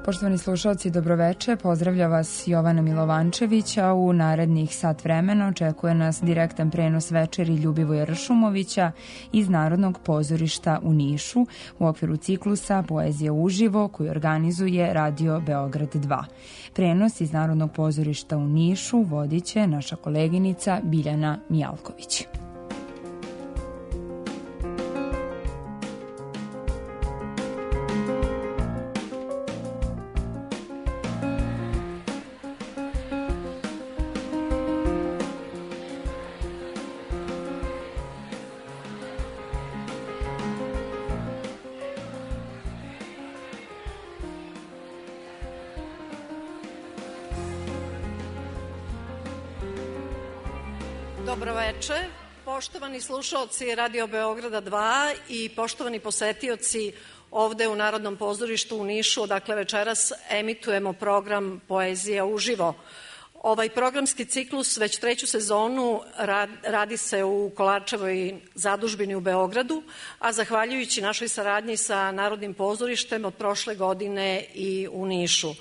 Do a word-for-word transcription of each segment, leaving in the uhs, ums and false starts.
Poštovani slušalci, dobroveče. Pozdravlja vas Jovana Milovančević, a u narednih sat vremena očekuje nas direktan prenos večeri Ljubivoja Ršumovića iz Narodnog pozorišta u Nišu u okviru ciklusa Poezija uživo koju organizuje Radio Beograd dva. Prenos iz Narodnog pozorišta u Nišu vodit će naša koleginica Biljana Mijalković. Dobroveče, poštovani slušaoci Radio Beograda dva i poštovani posetioci ovde u Narodnom pozorištu u Nišu, odakle večeras emitujemo program Poezija uživo. Ovaj programski ciklus već treću sezonu radi se u Kolarčevoj zadužbini u Beogradu, a zahvaljujući našoj saradnji sa Narodnim pozorištem od prošle godine i u Nišu.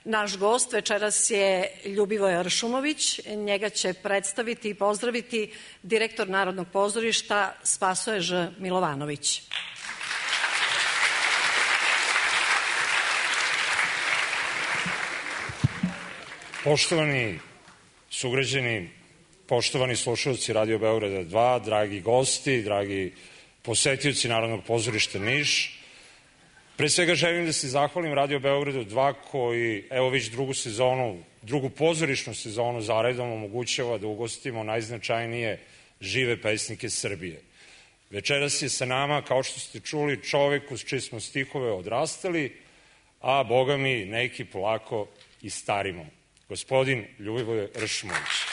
Naš gost večeras je Ljubivoje Ršumović, njega će predstaviti i pozdraviti direktor Narodnog pozorišta Spasoje Ž. Milovanović. Poštovani sugrađani, poštovani slušalci Radio Beograda dva, dragi gosti, dragi posetioci Narodnog pozorišta Niš, pre svega želim da se zahvalim Radio Beogradu dva koji, evo već drugu sezonu, drugu pozorišnu sezonu zaredom omogućava da ugostimo najznačajnije žive pesnike Srbije. Večeras je sa nama, kao što ste čuli, čovek uz čije smo stihove odrastali, a boga mi neki polako i starimo. Gospodin Ljubivoje Ršumović.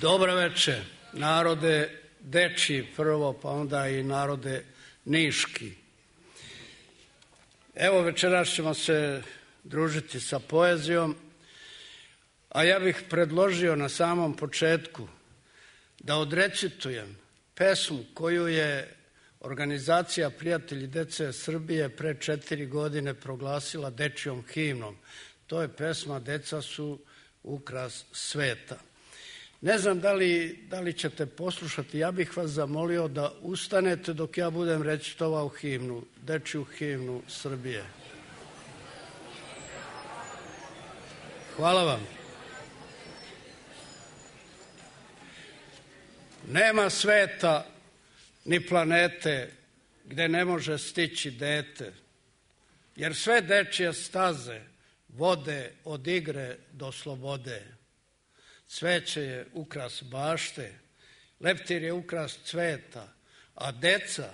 Dobro veče, narode dečiji prvo, pa onda i narode niški. Evo večeras ćemo se družiti sa poezijom, a ja bih predložio na samom početku da odrecitujem pesmu koju je organizacija Prijatelji dece Srbije pre četiri godine proglasila dečijom himnom. To je pesma Deca su ukras sveta. Ne znam da li, da li ćete poslušati, ja bih vas zamolio da ustanete dok ja budem recitovao himnu, dečiju himnu Srbije. Hvala vam. Nema sveta ni planete gde ne može stići dete, jer sve dečije staze vode od igre do slobode. Cveće je ukras bašte, leptir je ukras cveta, a deca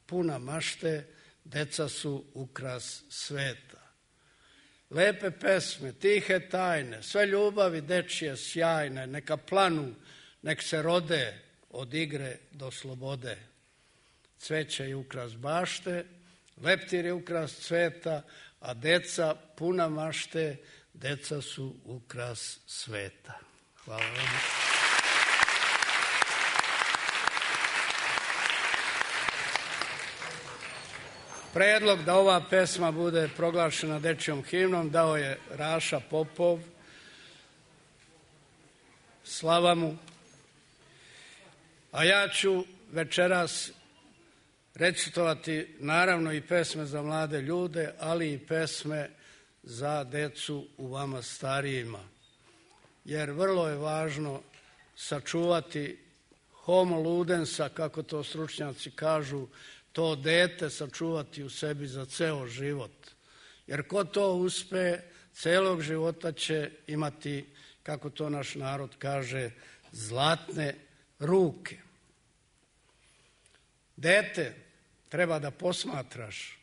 puna mašte, deca su ukras sveta. Lepe pesme, tihe tajne, sve ljubavi dečije sjajne, neka planu, nek se rode od igre do slobode. Cveće je ukras bašte, leptir je ukras cveta, a deca puna mašte, deca su ukras sveta. Hvala vam. Predlog da ova pesma bude proglašena dečijom himnom dao je Raša Popov. Slava mu. A ja ću večeras recitovati naravno i pesme za mlade ljude, ali i pesme za decu u vama starijima. Jer vrlo je važno sačuvati homo ludensa, kako to stručnjaci kažu, to dete sačuvati u sebi za ceo život. Jer ko to uspe, celog života će imati, kako to naš narod kaže, zlatne ruke. Dete treba da posmatraš,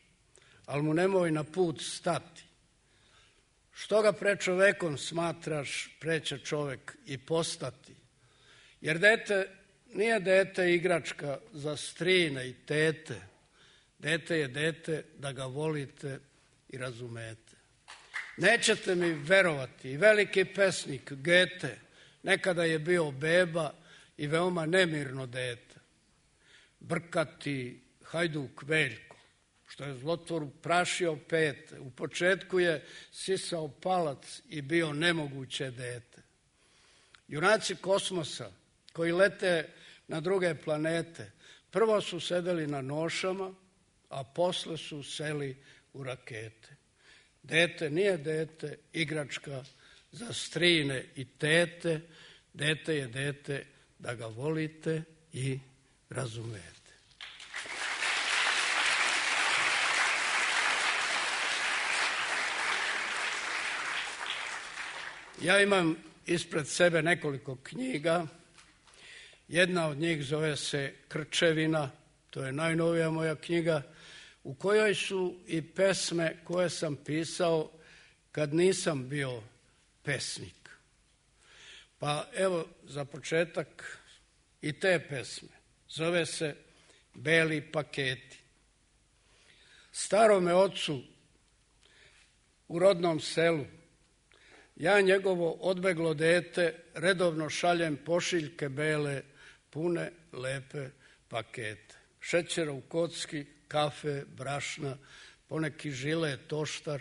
ali mu nemoj na put stati. Što ga pre čovekom smatraš, pre će čovek i postati. Jer dete nije dete igračka za strine i tete. Dete je dete da ga volite i razumete. Nećete mi verovati, veliki pesnik Gete nekada je bio beba i veoma nemirno dete. Brkati hajduk Veljko, što je zlotvoru prašio pete, u početku je sisao palac i bio nemoguće dete. Junaci kosmosa koji lete na druge planete, prvo su sedeli na nošama, a posle su seli u rakete. Dete nije dete igračka za strine i tete, dete je dete da ga volite i razumete. Ja imam ispred sebe nekoliko knjiga. Jedna od njih zove se Krčevina, to je najnovija moja knjiga, u kojoj su i pesme koje sam pisao kad nisam bio pesnik. Pa evo za početak i te pesme. Zove se Beli paketi. Starome ocu u rodnom selu ja njegovo odbeglo dete redovno šaljem pošiljke bele, pune lepe pakete. Šećera u kocki, kafe, brašna, poneki žile, toštar.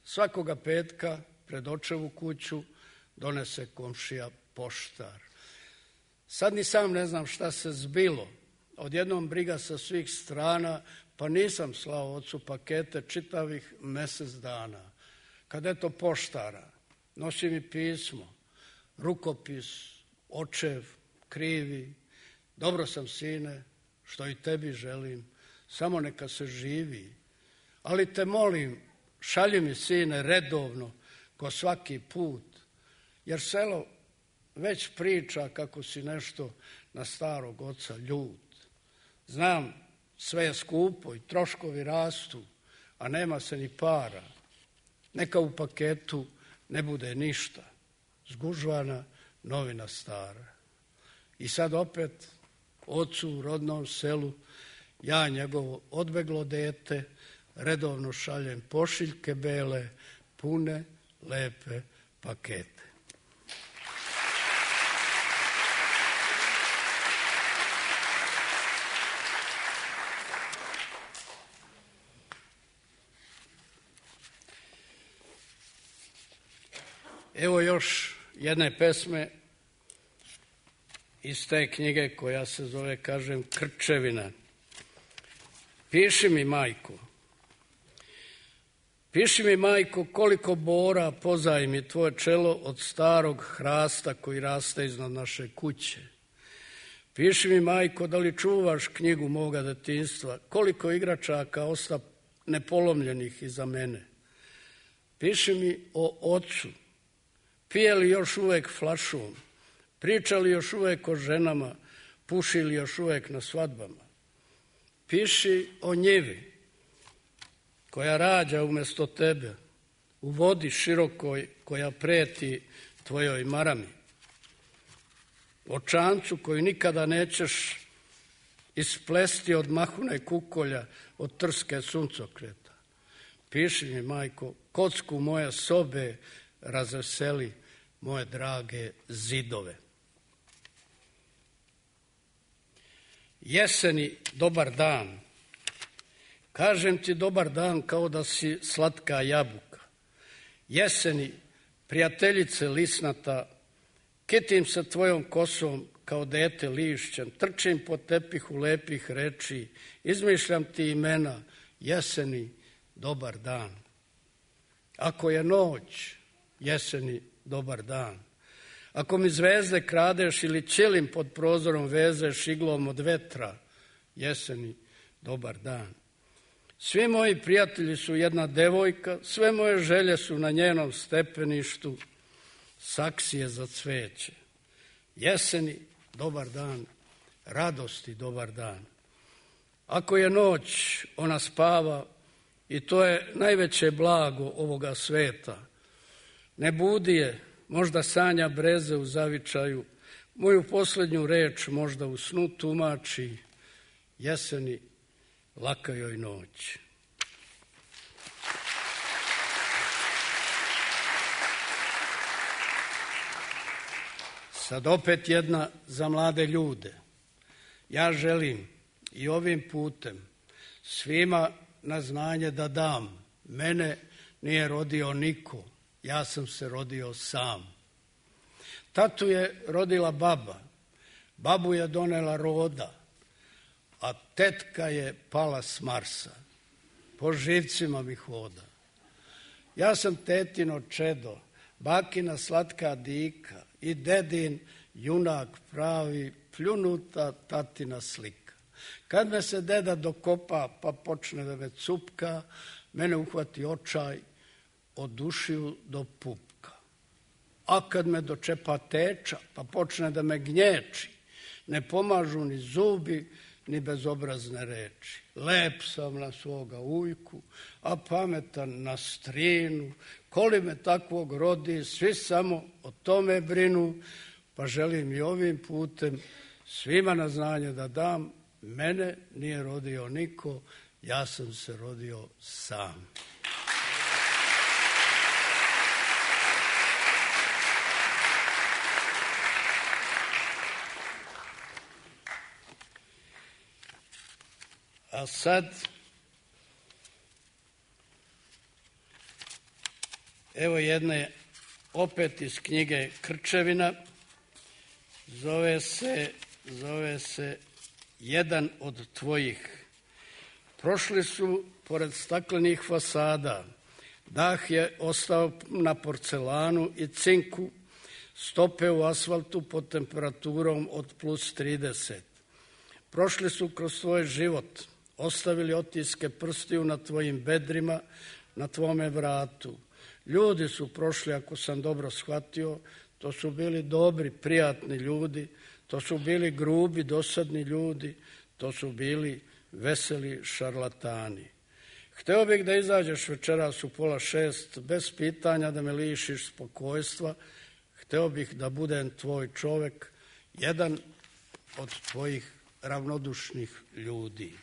Svakoga petka pred očevu kuću donese komšija poštar. Sad ni sam ne znam šta se zbilo. Odjednom briga sa svih strana, pa nisam slao ocu pakete čitavih mesec dana. Kad eto poštara, nosi mi pismo, rukopis, očev, krivi. Dobro sam, sine, što i tebi želim, samo neka se živi. Ali te molim, šalji mi, sine, redovno, ko svaki put, jer selo već priča kako si nešto na starog oca ljut. Znam, sve je skupo i troškovi rastu, a nema se ni para. Neka u paketu ne bude ništa, zgužvana novina stara. I sad opet ocu u rodnom selu ja njegovo odbeglo dete redovno šaljem pošiljke bele, pune lepe pakete. Evo još jedne pesme iz te knjige koja se zove, kažem, Krčevina. Piši mi, majko, piši mi, majko, koliko bora pozajmi tvoje čelo od starog hrasta koji raste iznad naše kuće. Piši mi, majko, da li čuvaš knjigu moga detinjstva, koliko igračaka osta nepolomljenih iza mene. Piši mi o ocu, pije li još uvek flašom, priča li još uvek o ženama, puši li još uvek na svadbama. Piši o njivi koja rađa umjesto tebe, u vodi širokoj koja preti tvojoj marami. O čancu koji nikada nećeš isplesti od mahune kukolja, od trske suncokreta. Piši mi, majko, kocku moje sobe razveseli moje drage zidove. Jeseni, dobar dan. Kažem ti dobar dan kao da si slatka jabuka. Jeseni, prijateljice lisnata, kitim se tvojom kosom kao dete lišćem, trčim po tepihu lepih reči, izmišljam ti imena, jeseni, dobar dan. Ako je noć, jeseni, dobar dan. Ako mi zvezde kradeš ili ćelim pod prozorom vezeš iglom od vetra, jeseni, dobar dan. Svi moji prijatelji su jedna devojka, sve moje želje su na njenom stepeništu, saksije za cveće. Jeseni, dobar dan, radosti, dobar dan. Ako je noć, ona spava i to je najveće blago ovoga sveta. Ne budi je, možda sanja breze u zavičaju, moju posljednju reč možda u snu tumači, jeseni laka joj noć. Sad opet jedna za mlade ljude. Ja želim i ovim putem svima na znanje da dam. Mene nije rodio niko, ja sam se rodio sam. Tatu je rodila baba, babu je donela roda, a tetka je pala s Marsa. Po živcima mi hoda. Ja sam tetino čedo, bakina slatka dika i dedin junak pravi, pljunuta tatina slika. Kad me se deda dokopa pa počne da me cupka, mene uhvati očaj od dušiju do pupka. A kad me dočepa teča pa počne da me gnječi, ne pomažu ni zubi ni bezobrazne reči. Lep sam na svoga ujku, a pametan na strinu. Koli me takvog rodi, svi samo o tome brinu, pa želim i ovim putem svima na znanje da dam. Mene nije rodio niko, ja sam se rodio sam. A sad, evo jedne opet iz knjige Krčevina, zove se, zove se Jedan od tvojih. Prošli su pored staklenih fasada, dah je ostao na porcelanu i cinku, stope u asfaltu pod temperaturom od plus trideset. Prošli su kroz tvoj život, ostavili otiske prstiju na tvojim bedrima, na tvome vratu. Ljudi su prošli, ako sam dobro shvatio, to su bili dobri, prijatni ljudi, to su bili grubi, dosadni ljudi, to su bili veseli šarlatani. Hteo bih da izađeš večeras u pola šest, bez pitanja da me lišiš spokojstva. Hteo bih da budem tvoj čovek, jedan od tvojih ravnodušnih ljudi.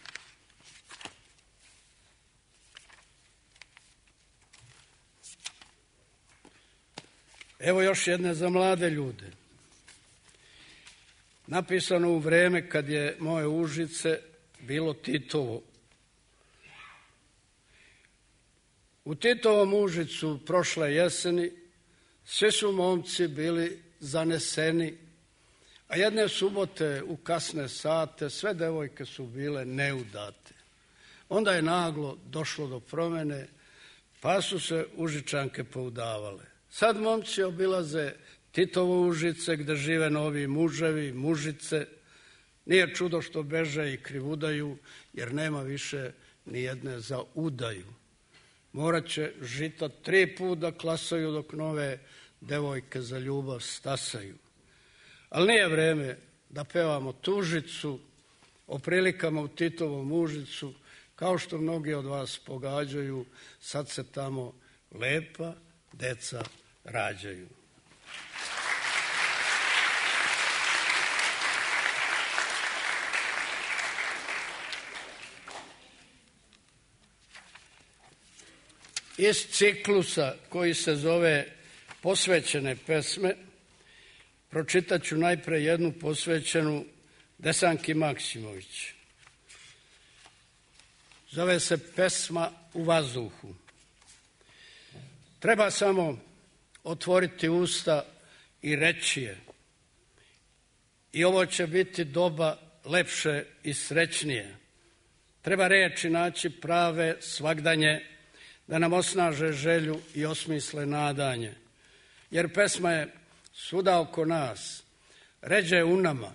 Evo još jedne za mlade ljude. Napisano u vreme kad je moje Užice bilo Titovo. U Titovom Užicu prošle jeseni svi su momci bili zaneseni, a jedne subote u kasne sate sve devojke su bile neudate. Onda je naglo došlo do promene, pa su se Užičanke poudavale. Sad momci obilaze Titovo Užice gde žive novi muževi, mužice. Nije čudo što beže i krivudaju, jer nema više ni jedne za udaju. Morat će žita tri put da klasaju dok nove devojke za ljubav stasaju. Ali nije vreme da pevamo tužicu o prilikama u Titovom Užicu, kao što mnogi od vas pogađaju, sad se tamo lepa deca rađaju. Iz ciklusa koji se zove Posvećene pesme, pročitat ću najpre jednu posvećenu Desanki Maksimović. Zove se Pesma u vazduhu. Treba samo otvoriti usta i reći je. I ovo će biti doba lepše i srećnije. Treba reči naći prave, svagdanje, da nam osnaže želju i osmisle nadanje. Jer pesma je svuda oko nas, ređe u nama,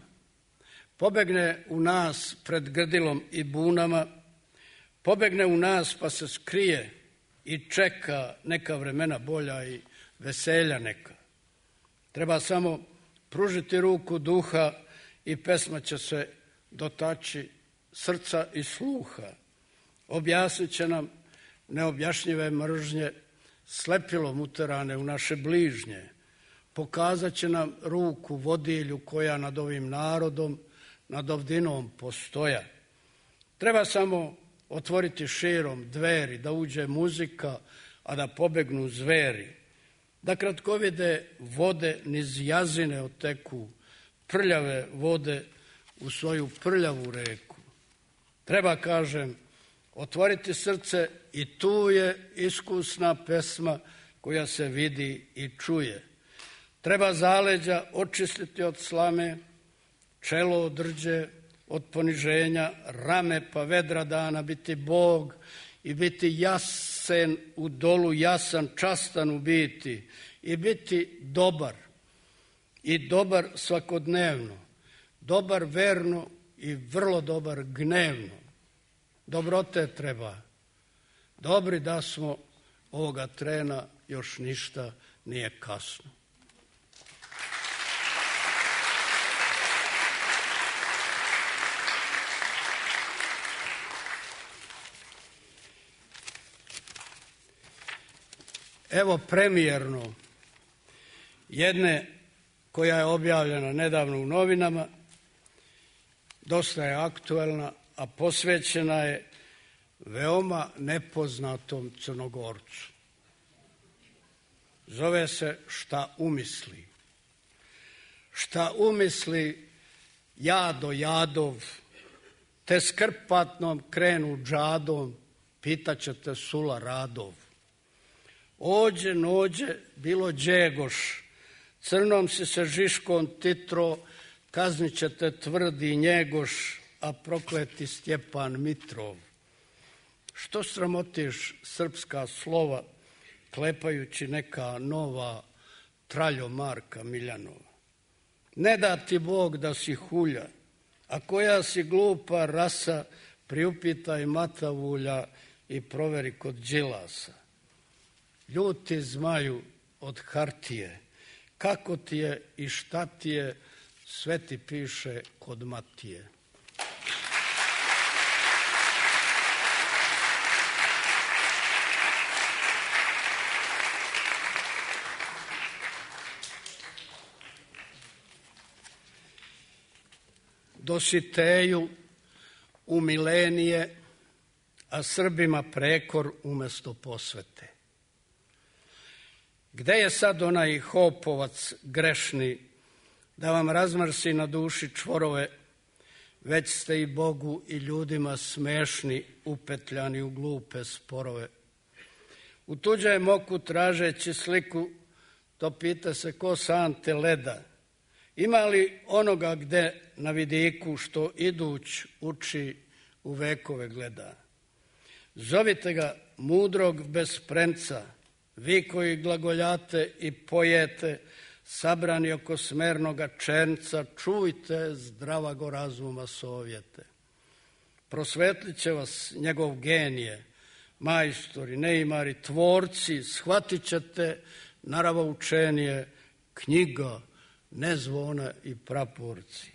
pobegne u nas pred grdilom i bunama, pobegne u nas pa se skrije i čeka neka vremena bolja i veselja neka. Treba samo pružiti ruku duha i pesma će se dotaći srca i sluha. Objasnit će nam neobjašnjive mržnje, slepilom uterane u naše bližnje, pokazat će nam ruku vodilju koja nad ovim narodom, nad ovdinom postoja. Treba samo otvoriti širom dveri, da uđe muzika, a da pobegnu zveri, da kratkovide vode niz jazine oteku, prljave vode u svoju prljavu reku. Treba, kažem, otvoriti srce i tu je iskusna pesma koja se vidi i čuje. Treba zaleđa očistiti od slame, čelo od rđe, od poniženja, rame pa vedra dana, biti Bog i biti jasen u dolu, jasan, častan u biti i biti dobar i dobar svakodnevno, dobar verno i vrlo dobar gnevno. Dobrote treba. Dobri da smo ovoga trena, još ništa nije kasno. Evo premijerno jedne koja je objavljena nedavno u novinama, dosta je aktuelna, a posvećena je veoma nepoznatom Crnogorcu. Zove se Šta umisli. Šta umisli jado jadov, te skrpatnom krenu džadom, pitaćete sula radov. Ođe nođe bilo džegoš, crnom si se žiškom titro, kaznit ćete tvrdi njegoš, a prokleti Stjepan Mitrov. Što sramotiš srpska slova, klepajući neka nova traljo Marka Miljanova? Ne da ti Bog da si hulja, a koja si glupa rasa, priupitaj Matavulja i proveri kod Đilasa. Ljuti zmaju od hartije, kako ti je i šta ti je, sve ti piše kod Matije. Dositeju u milenije, a Srbima prekor umesto posvete. Gde je sad onaj hopovac grešni, da vam razmrsi na duši čvorove, već ste i Bogu i ljudima smešni, upetljani u glupe sporove. U tuđem oku tražeći sliku, to pita se ko sante leda. Ima li onoga gde na vidiku što iduć uči u vekove gleda? Zovite ga mudrog bez premca, vi koji glagoljate i pojete, sabrani oko smernoga černca, čujte zdravago razuma sovjete. Prosvetlit će vas njegov genije, majstori, neimari, tvorci, shvatit ćete naravoučenije, knjiga, ne zvona i praporci.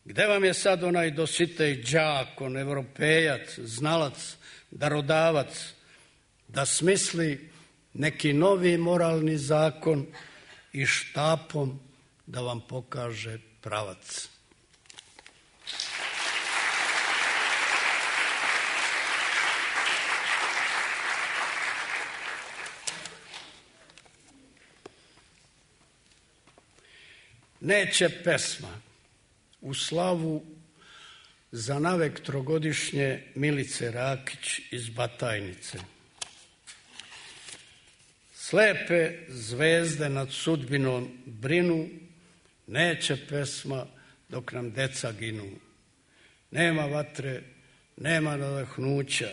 Gde vam je sad onaj Dositej đakon, evropejac, znalac, darodavac, da smisli neki novi moralni zakon i štapom da vam pokaže pravac? Neće pesma u slavu za navek trogodišnje Milice Rakić iz Batajnice. Slepe zvezde nad sudbinom brinu, neće pesma dok nam deca ginu. Nema vatre, nema nadahnuća,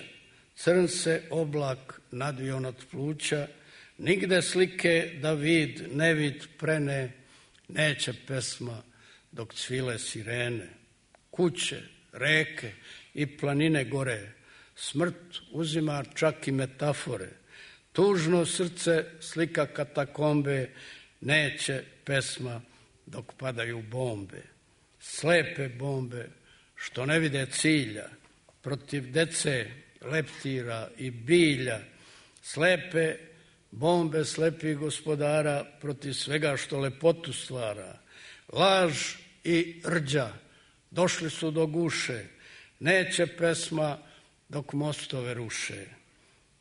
crn se oblak nadvio nad pluća, nigde slike da vid, nevid prene, neće pesma dok cvile sirene. Kuće, reke i planine gore, smrt uzima čak i metafore. Tužno srce slika katakombe, neće pesma dok padaju bombe. Slepe bombe što ne vide cilja, protiv dece, leptira i bilja. Slepe bombe slepih gospodara protiv svega što lepotu stvara. Laž i rđa došli su do guše, neće pesma dok mostove ruše.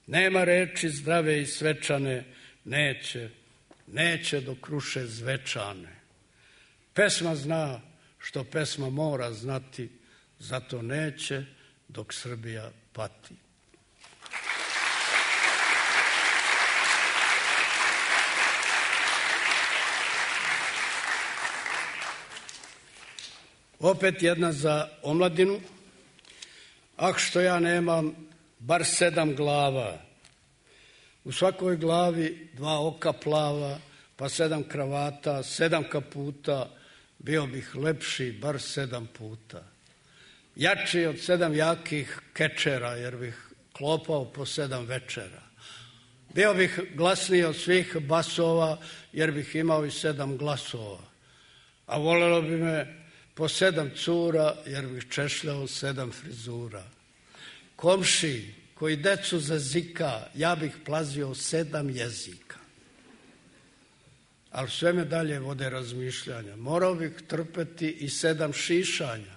Nema reči zdrave i svečane, neće, neće dok ruše zvečane. Pesma zna što pesma mora znati, zato neće dok Srbija pati. Opet jedna za omladinu. Ah, što ja nemam bar sedam glava. U svakoj glavi dva oka plava, pa sedam kravata, sedam kaputa, bio bih lepši bar sedam puta. Jači od sedam jakih kečera, jer bih klopao po sedam večera. Bio bih glasniji od svih basova, jer bih imao i sedam glasova. A volelo bi me po sedam cura, jer bih češljao sedam frizura. Komši koji decu zazika, ja bih plazio sedam jezika. Ali sve me dalje vode razmišljanja. Morao bih trpeti i sedam šišanja.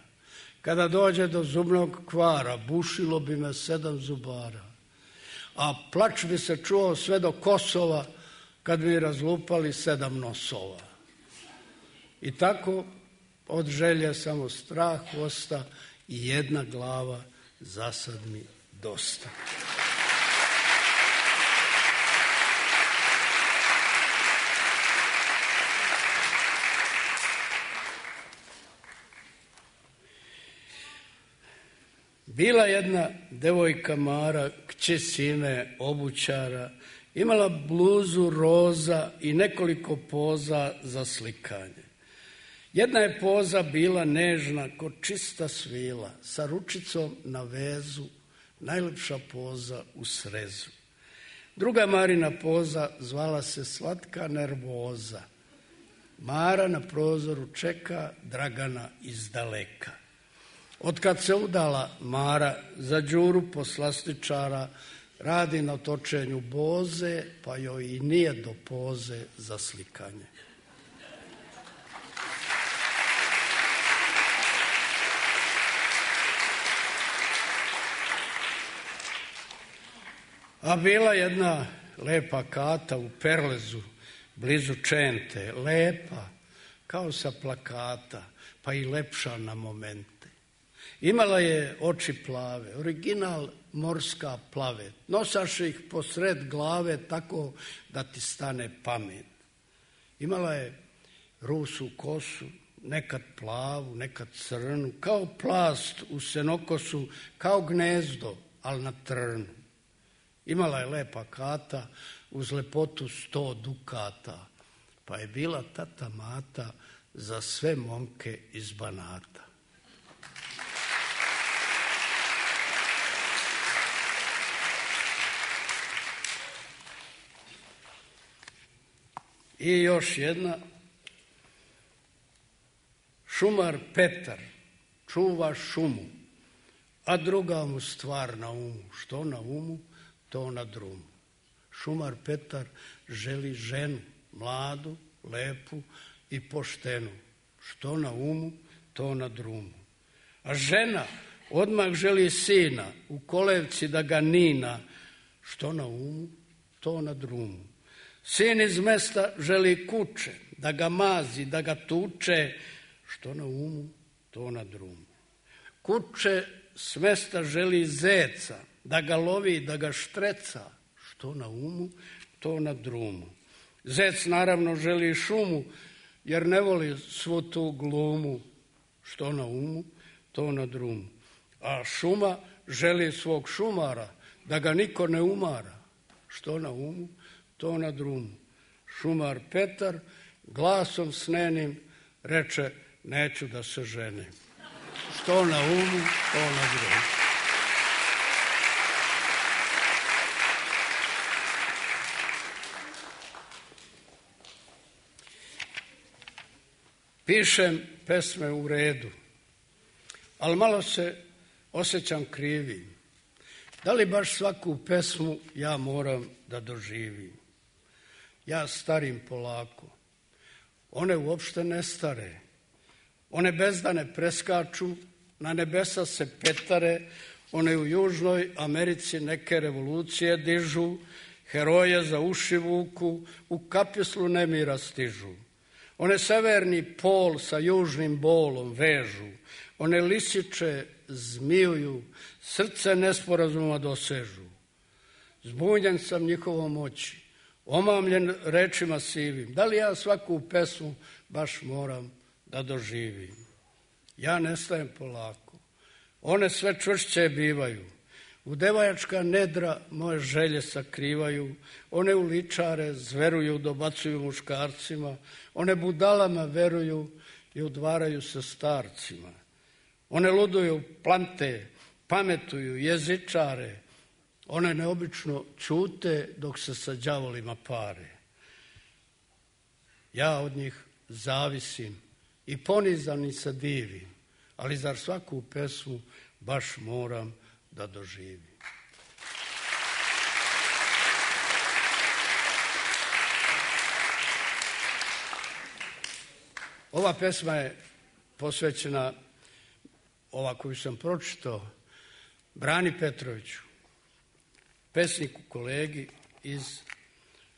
Kada dođe do zubnog kvara, bušilo bi me sedam zubara. A plač bi se čuo sve do Kosova, kad bi razlupali sedam nosova. I tako od želje samo strah osta i jedna glava, zasad mi dosta. Bila jedna devojka Mara, kći sine obućara, imala bluzu roza i nekoliko poza za slikanje. Jedna je poza bila nežna ko čista svila, sa ručicom na vezu, najlepša poza u srezu. Druga Marina poza zvala se slatka nervoza. Mara na prozoru čeka Dragana iz daleka. Otkad se udala Mara za Đuru poslastičara, radi na točenju boze, pa joj i nije do poze za slikanje. A bila jedna lepa kata u Perlezu, blizu Čente, lepa, kao sa plakata, pa i lepša na momente. Imala je oči plave, original morska plavet. Nosaš ih posred glave tako da ti stane pamet. Imala je rusu kosu, nekad plavu, nekad crnu, kao plast u senokosu, kao gnezdo, ali na trnu. Imala je lepa kata, uz lepotu sto dukata, pa je bila tata mata za sve momke iz Banata. I još jedna. Šumar Petar čuva šumu, a druga mu stvar na umu. Što na umu, to na drumu. Šumar Petar želi ženu, mladu, lepu i poštenu. Što na umu, to na drumu. A žena odmah želi sina, u kolevci da ga nina. Što na umu, to na drumu. Sin iz mesta želi kuće, da ga mazi, da ga tuče. Što na umu, to na drumu. Kuće s mesta želi zeca, da ga lovi, da ga štreca. Što na umu, to na drumu. Zec naravno želi šumu, jer ne voli svu tu glumu. Što na umu, to na drumu. A šuma želi svog šumara, da ga niko ne umara. Što na umu, to na drumu. Šumar Petar glasom snenim reče, neću da se ženim. Što na umu, to na drumu. Pišem pesme u redu, ali malo se osjećam krivim. Da li baš svaku pesmu ja moram da doživim? ja starim polako. One uopšte ne stare. One bezdane preskaču, na nebesa se petare, one u Južnoj Americi neke revolucije dižu, heroje za uši vuku, u kapislu nemira stižu. One severni pol sa južnim bolom vežu, one lisiče zmijuju, srce nesporazuma dosežu. Zbunjen sam njihovom moći, omamljen rečima sivim. Da li ja svaku pesmu baš moram da doživim? Ja nestajem polako, one sve čvršće bivaju. U devajačka nedra moje želje sakrivaju, one uličare zveruju, dobacuju muškarcima, one budalama veruju i udvaraju se starcima. One luduju, plante, pametuju, jezičare, one neobično ćute dok se sa đavolima pare. Ja od njih zavisim i ponizani se divim, ali zar svaku pesmu baš moram da doživim? Ova pesma je posvećena, ova koju sam pročitao, Brani Petroviću, pesniku, kolegi iz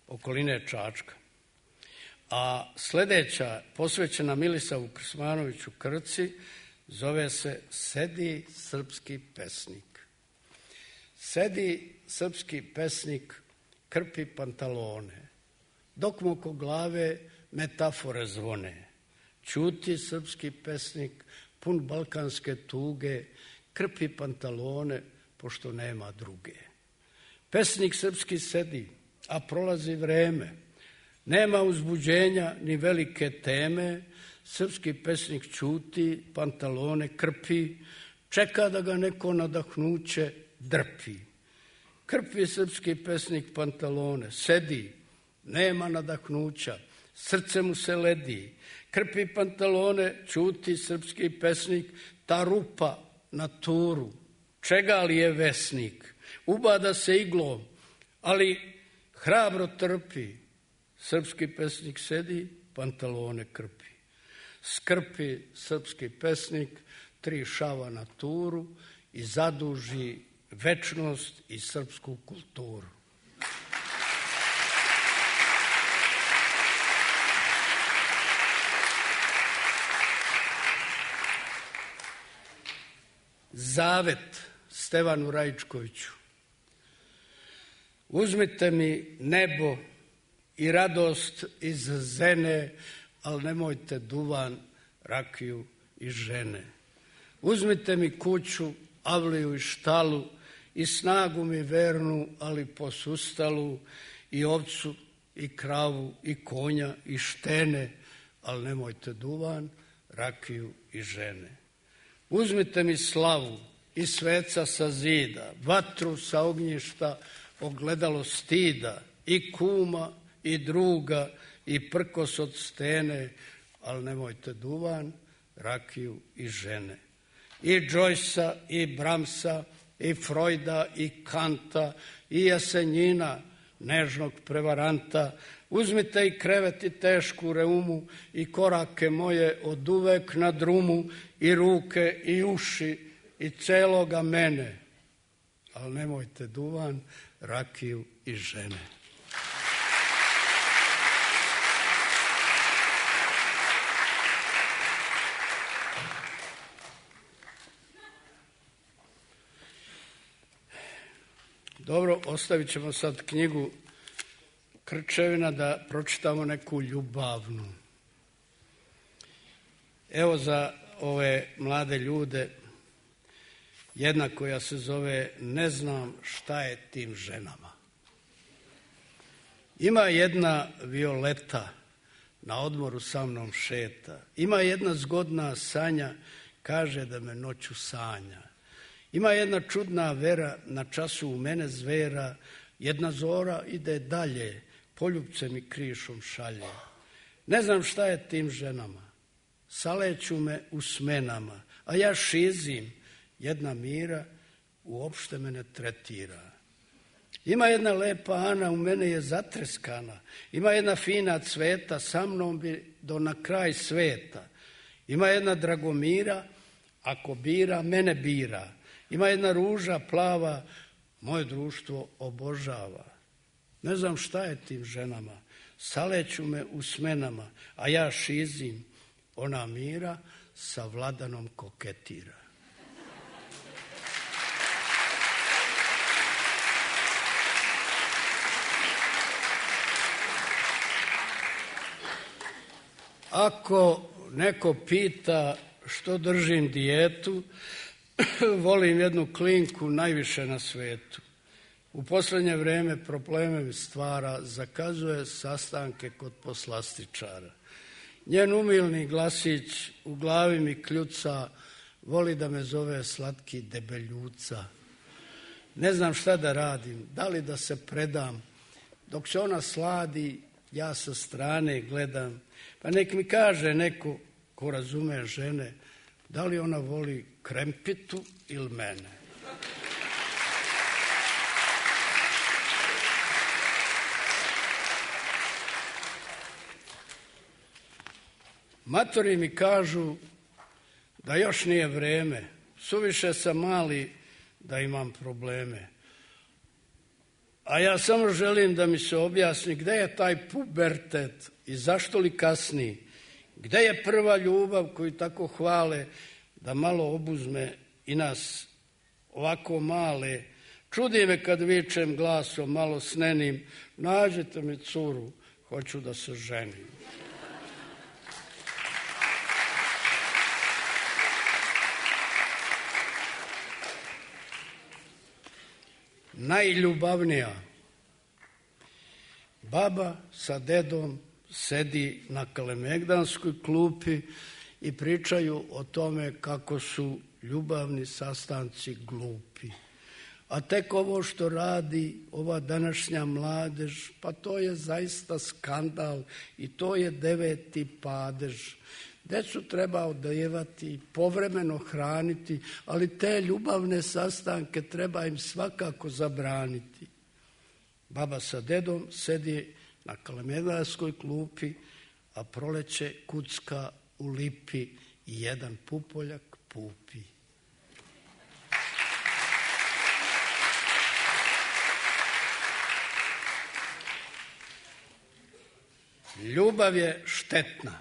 okoline Čačka. A sledeća, posvećena Milisavu Krsmanoviću Krci, zove se Sedi srpski pesnik. Sedi srpski pesnik, krpi pantalone, dok mu oko glave metafore zvone. Ćuti srpski pesnik, pun balkanske tuge, krpi pantalone, pošto nema druge. Pesnik srpski sedi, a prolazi vreme, nema uzbuđenja ni velike teme, srpski pesnik ćuti, pantalone krpi, čeka da ga neko nadahnuće drpi. Krpi srpski pesnik pantalone, sedi, nema nadahnuća, srce mu se ledi. Krpi pantalone, ćuti srpski pesnik, ta rupa na turu, čega li je vesnik? Ubada se iglom, ali hrabro trpi. Srpski pesnik sedi, pantalone krpi. Skrpi srpski pesnik, tri šava na turu i zaduži večnost i srpsku kulturu. Zavet Stevanu Raičkoviću. Uzmite mi nebo i radost iz zene, ali nemojte duvan, rakiju i žene. Uzmite mi kuću, avliju i štalu i snagu mi vernu, ali posustalu, i ovcu i kravu i konja i štene, ali nemojte duvan, rakiju i žene. Uzmite mi slavu i sveca sa zida, vatru sa ognjišta, ogledalo stida, i kuma i druga i prkos od stene, ali nemojte duvan, rakiju i žene. I Joycea i Bramsa i Freuda i Kanta i Jasenjina, nežnog prevaranta. Uzmite i krevet i tešku reumu i korake moje od uvek na drumu i ruke i uši i celoga mene, ali nemojte duvan, rakiju i žene. Dobro, ostavit ćemo sad knjigu Krčevina da pročitamo neku ljubavnu. Evo za ove mlade ljude jedna koja se zove Ne znam šta je tim ženama. Ima jedna Violeta, na odmoru sa mnom šeta. Ima jedna zgodna Sanja, kaže da me noću sanja. Ima jedna čudna Vera, na času u mene zvera. Jedna zora ide dalje, poljubce mi krišom šalje. Ne znam šta je tim ženama, saleću me u smenama, a ja šizim, jedna Mira uopšte me ne tretira. Ima jedna lepa Ana, u mene je zatreskana. Ima jedna fina Cveta, sa mnom bi do na kraj sveta. Ima jedna Dragomira, ako bira, mene bira. Ima jedna Ruža plava, moje društvo obožava. Ne znam šta je tim ženama, saleću me u smenama, a ja šizim, ona Mira sa Vladanom koketira. Ako neko pita što držim dijetu, volim jednu klinku najviše na svetu. U posljednje vrijeme probleme mi stvara, zakazuje sastanke kod poslastičara. Njen umilni glasić u glavi mi kljuca, voli da me zove slatki debeljuca. Ne znam šta da radim, da li da se predam. Dok se ona sladi, ja sa strane gledam. Pa nek mi kaže neko ko razume žene, da li ona voli krempitu ili mene. Matori mi kažu da još nije vreme, suviše sam mali da imam probleme. A ja samo želim da mi se objasni gde je taj pubertet i zašto li kasni, gde je prva ljubav koju tako hvale da malo obuzme i nas ovako male. Čudi me kad vičem glasom malo snenim, nađite mi curu, hoću da se ženim. Najljubavnija. Baba sa dedom sedi na Kalemegdanskoj klupi i pričaju o tome kako su ljubavni sastanci glupi. A tek ovo što radi ova današnja mladež, pa to je zaista skandal i to je deveti padež. Decu treba odajevati, povremeno hraniti, ali te ljubavne sastanke treba im svakako zabraniti. Baba sa dedom sedi na Kalemegdanskoj klupi, a proleće kucka u lipi i jedan pupoljak pupi. Ljubav je štetna.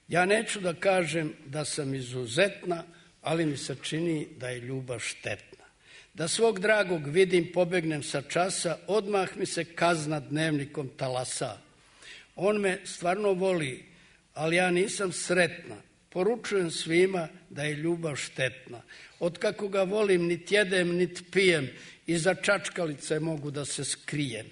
Ja neću da kažem da sam izuzetna, ali mi se čini da je ljubav štetna. Da svog dragog vidim, pobegnem sa časa, odmah mi se kazna dnevnikom talasa. On me stvarno voli, ali ja nisam sretna. Poručujem svima da je ljubav štetna. Otkako ga volim, nit jedem, nit pijem, iza čačkalice mogu da se skrijem.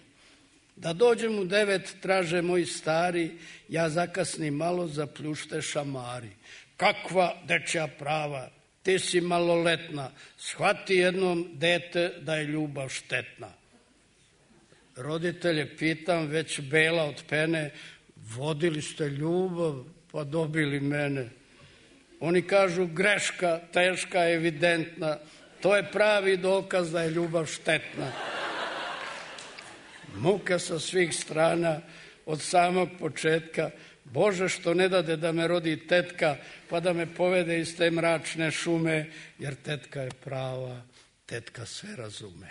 Da dođem u devet, traže moji stari, ja zakasnim malo, zapljušte šamari. Kakva dečja prava, ti si maloletna, shvati jednom dete da je ljubav štetna. Roditelje pitam, već bela od pene, vodili ste ljubav, pa dobili mene. Oni kažu, greška, teška, evidentna, to je pravi dokaz da je ljubav štetna. Muka sa svih strana, od samog početka, Bože što ne dade da me rodi tetka, pa da me povede iz te mračne šume, jer tetka je prava, tetka sve razume.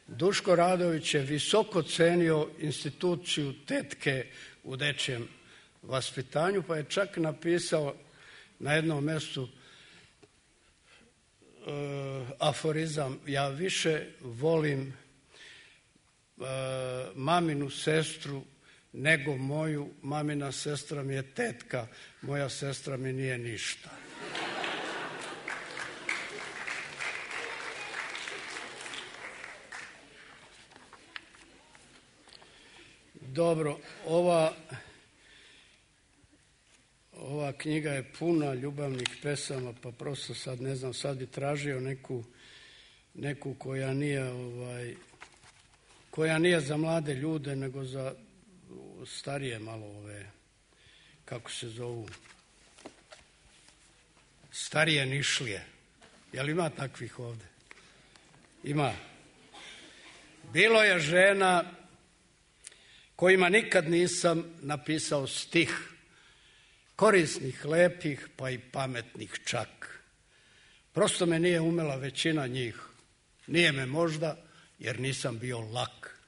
Duško Radović je visoko cenio instituciju tetke u dečijem vaspitanju, pa je čak napisao na jednom mjestu uh, aforizam: ja više volim uh, maminu sestru nego moju, mamina sestra mi je tetka, moja sestra mi nije ništa. Dobro, ova Ova knjiga je puna ljubavnih pesama, pa prosto sad ne znam, sad bi tražio neku, neku koja nije, ovaj, koja nije za mlade ljude, nego za starije malo ove, kako se zovu, starije Nišlije. Jel ima takvih ovde? Ima. Bilo je žena kojima nikad nisam napisao stih, korisnih, lepih, pa i pametnih čak. Prosto me nije umela većina njih. Nije me možda, jer nisam bio lak.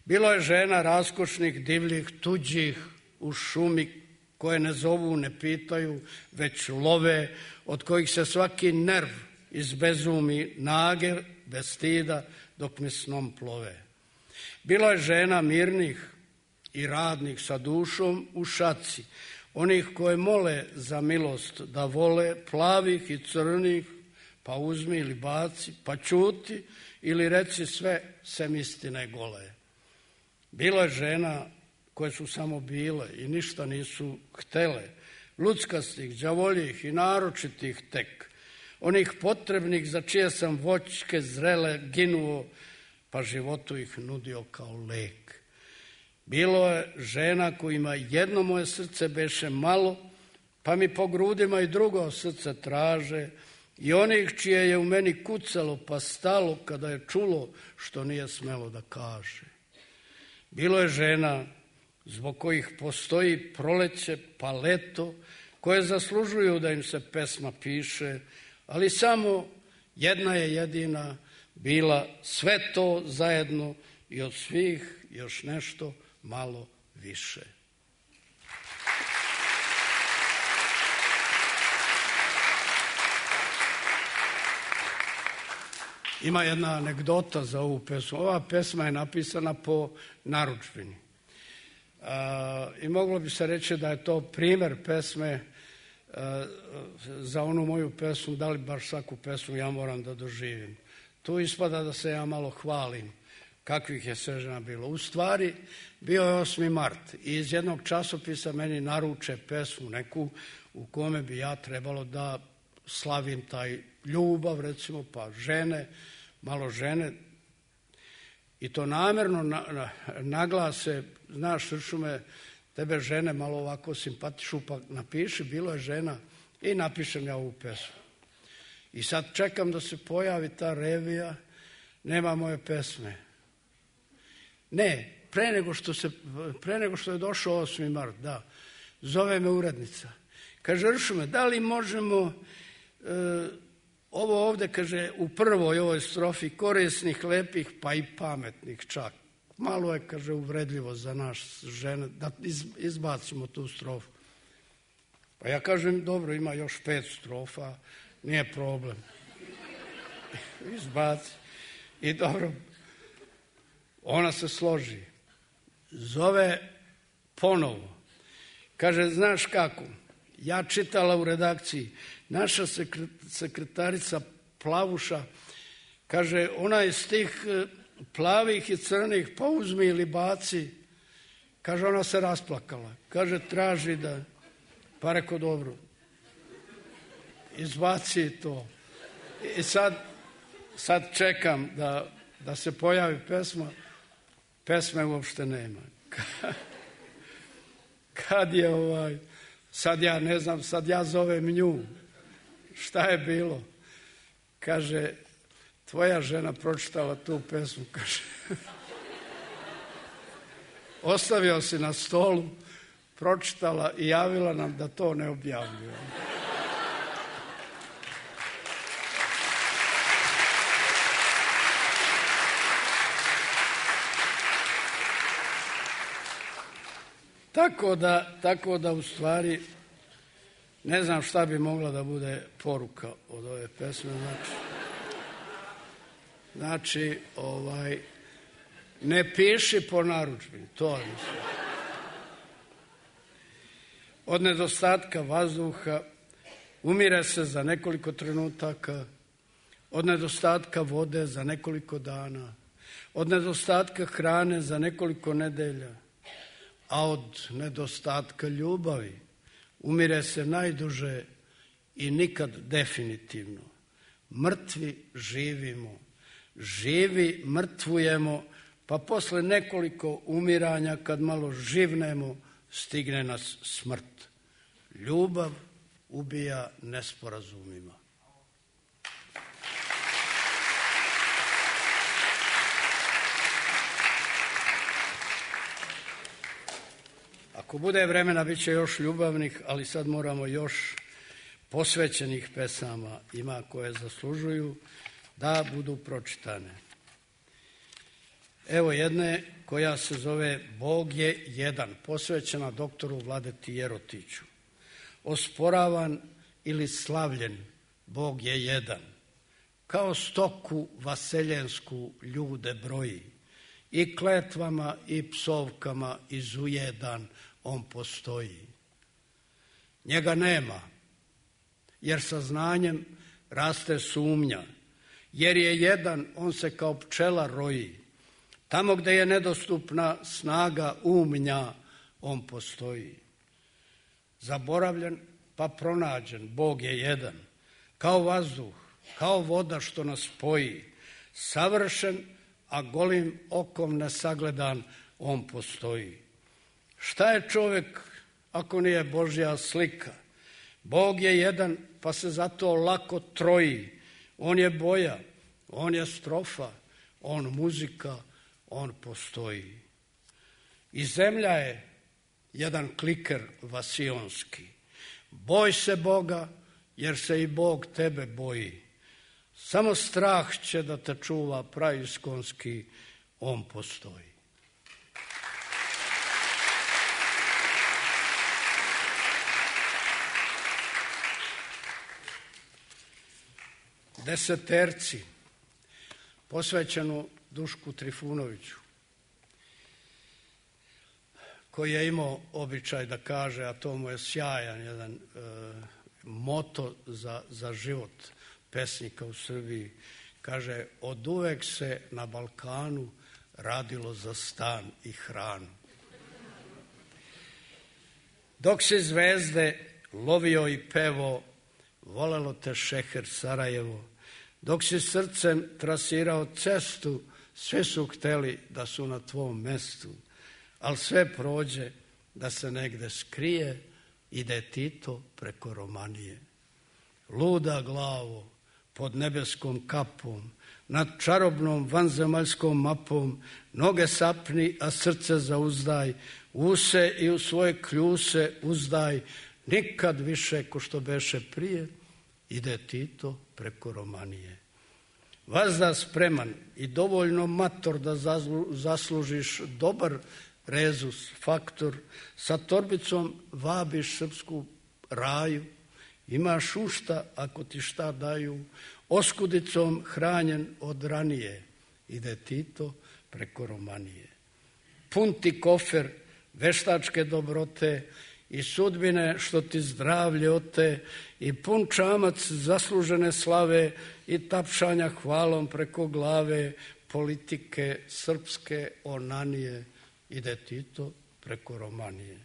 Bilo je žena raskošnih, divljih, tuđih, u šumi, koje ne zovu, ne pitaju, već love, od kojih se svaki nerv izbezumi, nage, bez stida, dok me snom plove. Bilo je žena mirnih i radnih sa dušom u šaci, onih koje mole za milost da vole, plavih i crnih, pa uzmi ili baci, pa čuti ili reci sve, sem istine gole. Bilo je žena koje su samo bile i ništa nisu htele, luckastih, đavoljih i naročitih tek, onih potrebnih za čije sam voćke zrele ginuo, pa životu ih nudio kao lek. Bilo je žena kojima jedno moje srce beše malo, pa mi po grudima i drugo srce traže, i onih čije je u meni kucalo pa stalo kada je čulo što nije smelo da kaže. Bilo je žena zbog kojih postoji proleće pa leto, koje zaslužuju da im se pesma piše, ali samo jedna je jedina bila sve to zajedno i od svih još nešto malo više. Ima jedna anegdota za ovu pesmu. Ova pesma je napisana po narudžbini. A, I moglo bi se reći da je to primer pesme a, za onu moju pesmu, da li baš svaku pesmu ja moram da doživim. Tu ispada da se ja malo hvalim kakvih je sve žena bilo. U stvari, bio je osmi mart i iz jednog časopisa meni naruče pesmu neku u kome bi ja trebalo da slavim taj ljubav, recimo, pa žene, malo žene, i to namjerno na, na, naglase, znaš, Sršume, tebe žene malo ovako simpatišu, pa napiši, bilo je žena, i napišem ja ovu pesmu. I sad čekam da se pojavi ta revija, nema moje pesme. Ne, pre nego što, se, pre nego što je došao osmi mart, da, zove me urednica. Kaže, Sršume, da li možemo... E, ovo ovde, kaže, u prvoj ovoj strofi korisnih, lepih, pa i pametnih čak. Malo je, kaže, uvredljivo za naš žene, da izbacimo tu strofu. Pa ja kažem, dobro, ima još pet strofa, nije problem. Izbaci. I dobro, ona se složi. Zove ponovo. Kaže, znaš kako? Ja čitala u redakciji, naša sekretarica Plavuša, kaže, ona iz tih plavih i crnih, pa uzmi ili baci, kaže, ona se rasplakala, kaže, traži da, pa reko, dobro, izbaci to. I sad, sad čekam da, da se pojavi pesma, pesme uopšte nema. Kad je ovaj... Sad ja ne znam, sad ja zovem nju. Šta je bilo? Kaže, tvoja žena pročitala tu pesmu, kaže. Ostavio si na stolu, pročitala i javila nam da to ne objavljuje. Tako da, tako da u stvari ne znam šta bi mogla da bude poruka od ove pesme. Znači, znači ovaj, ne piši po narudžbini, to je mislim. Od nedostatka vazduha umire se za nekoliko trenutaka, od nedostatka vode za nekoliko dana, od nedostatka hrane za nekoliko nedelja, a od nedostatka ljubavi umire se najduže i nikad definitivno. Mrtvi živimo, živi mrtvujemo, pa posle nekoliko umiranja, kad malo živnemo, stigne nas smrt. Ljubav ubija nesporazumima. Ako bude vremena, bit će još ljubavnih, ali sad moramo još posvećenih pesama, ima koje zaslužuju da budu pročitane. Evo jedne koja se zove Bog je jedan, posvećena doktoru Vladeti Jerotiću. Osporavan ili slavljen, Bog je jedan. Kao stoku vaseljensku ljude broji, i kletvama i psovkama izujedan on postoji. Njega nema, jer sa znanjem raste sumnja, jer je jedan, on se kao pčela roji. Tamo gde je nedostupna snaga umnja, on postoji. Zaboravljen pa pronađen, Bog je jedan, kao vazduh, kao voda što nas spoji. Savršen, a golim okom nesagledan, on postoji. Šta je čovek ako nije Božja slika? Bog je jedan, pa se zato lako troji. On je boja, on je strofa, on muzika, on postoji. I zemlja je jedan kliker vasionski. Boj se Boga, jer se i Bog tebe boji. Samo strah će da te čuva praiskonski, on postoji. Deseterci, posvećenu Dušku Trifunoviću, koji je imao običaj da kaže, a to mu je sjajan jedan e, moto za, za život pesnika u Srbiji, kaže, od uvek se na Balkanu radilo za stan i hranu. Dok se zvezde lovio i pevo, volelo te šeher Sarajevo. Dok si srcem trasirao cestu, sve su hteli da su na tvom mestu, ali sve prođe da se negde skrije, ide Tito preko Romanije. Luda glavo, pod nebeskom kapom, nad čarobnom vanzemaljskom mapom, noge sapni, a srce zauzdaj, use i u svoje kljuse uzdaj, nikad više ko što beše prije, ide Tito preko Romanije. Vazda spreman i dovoljno mator da zaslužiš dobar rezus, faktor, sa torbicom vabiš srpsku raju, imaš ušta ako ti šta daju, oskudicom hranjen od ranije, ide Tito preko Romanije. Pun ti kofer veštačke dobrote i sudbine što ti zdravlje ote, i pun čamac zaslužene slave i tapšanja hvalom preko glave, politike srpske onanije, ide Tito preko Romanije.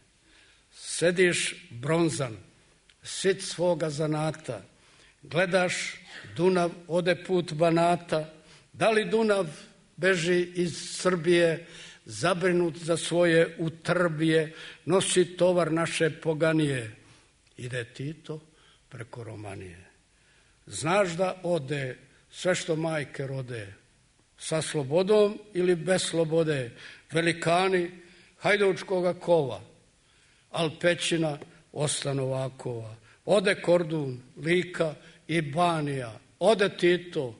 Sediš bronzan, sit svoga zanata, gledaš Dunav ode put Banata, da li Dunav beži iz Srbije, zabrinut za svoje utrbije, nosi tovar naše poganije, ide Tito preko Romanije. Znaš da ode sve što majke rode, sa slobodom ili bez slobode, velikani hajdučkoga kova, al pećina Ostanovakova. Ode Kordun, Lika i Banija, ode Tito,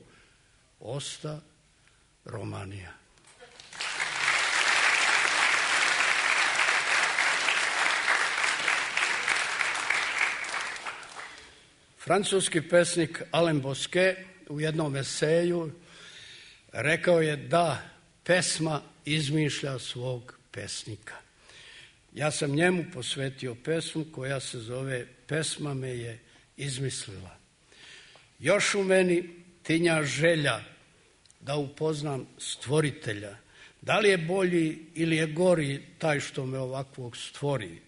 osta Romanija. Francuski pesnik Alain Bosquet u jednom eseju rekao je da pesma izmišlja svog pesnika. Ja sam njemu posvetio pesmu koja se zove Pesma me je izmislila. Još u meni tinja želja da upoznam stvoritelja. Da li je bolji ili je gori taj što me ovakvog stvori?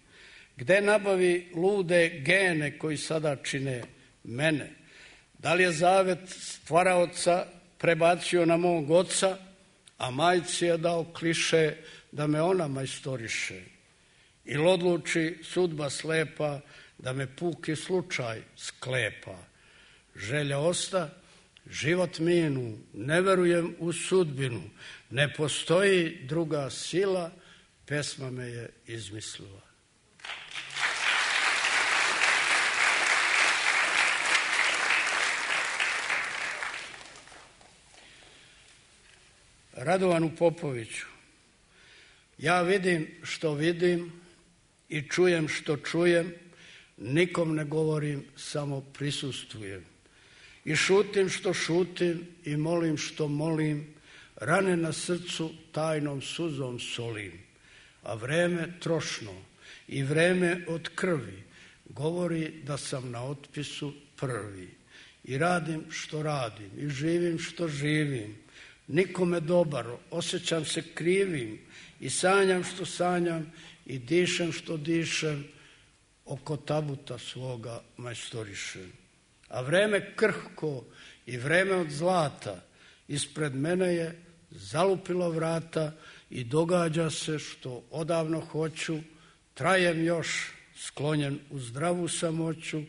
Gde nabavi lude gene koji sada čine mene? Da li je zavet stvaraoca prebacio na mog oca, a majci je dao kliše da me ona majstoriše. Ili odluči sudba slepa da me puki slučaj sklepa. Želja osta, život minu, ne verujem u sudbinu, ne postoji druga sila, pesma me je izmislila. Radovanu Popoviću. Ja vidim što vidim i čujem što čujem, nikom ne govorim, samo prisustvujem. I šutim što šutim i molim što molim, rane na srcu tajnom suzom solim. A vreme trošno i vreme od krvi govori da sam na otpisu prvi. I radim što radim i živim što živim. Nikome dobar, osjećam se krivim i sanjam što sanjam i dišem što dišem, oko tabuta svoga majstorišem. A vreme krhko i vreme od zlata ispred mene je zalupilo vrata i događa se što odavno hoću, trajem još sklonjen u zdravu samoću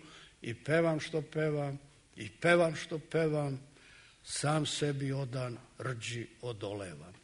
i pevam što pevam i pevam što pevam, sam sebi odan rđi odolevam.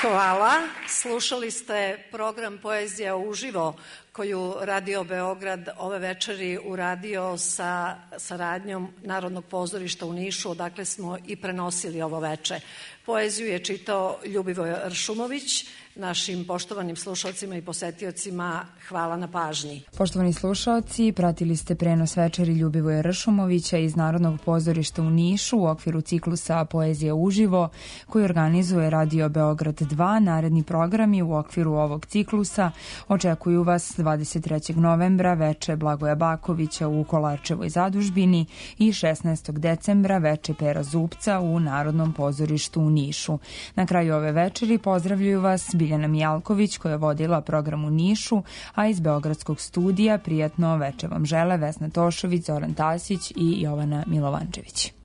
Hvala. Slušali ste program Poezija uživo koju Radio Beograd ove večeri uradio sa saradnjom Narodnog pozorišta u Nišu, odakle smo i prenosili ovo veče. Poeziju je čitao Ljubivoje Ršumović. Našim poštovanim slušalcima i posetiocima hvala na pažnji. Poštovani slušalci, pratili ste prenos večeri Ljubivoja Ršumovića iz Narodnog pozorišta u Nišu u okviru ciklusa Poezija uživo koji organizuje Radio Beograd dva. Naredni programi u okviru ovog ciklusa očekuju vas dvadeset trećeg novembra veče Blagoja Bakovića u Kolarčevoj zadužbini i šesnaestog decembra veče Pera Zupca u Narodnom pozorištu u Nišu. Na kraju ove večeri pozdravljaju vas Biljana Mijalković koja je vodila program u Nišu, a iz Beogradskog studija prijatno veče vam žele Vesna Tošović, Zoran Tasić i Jovana Milovančević.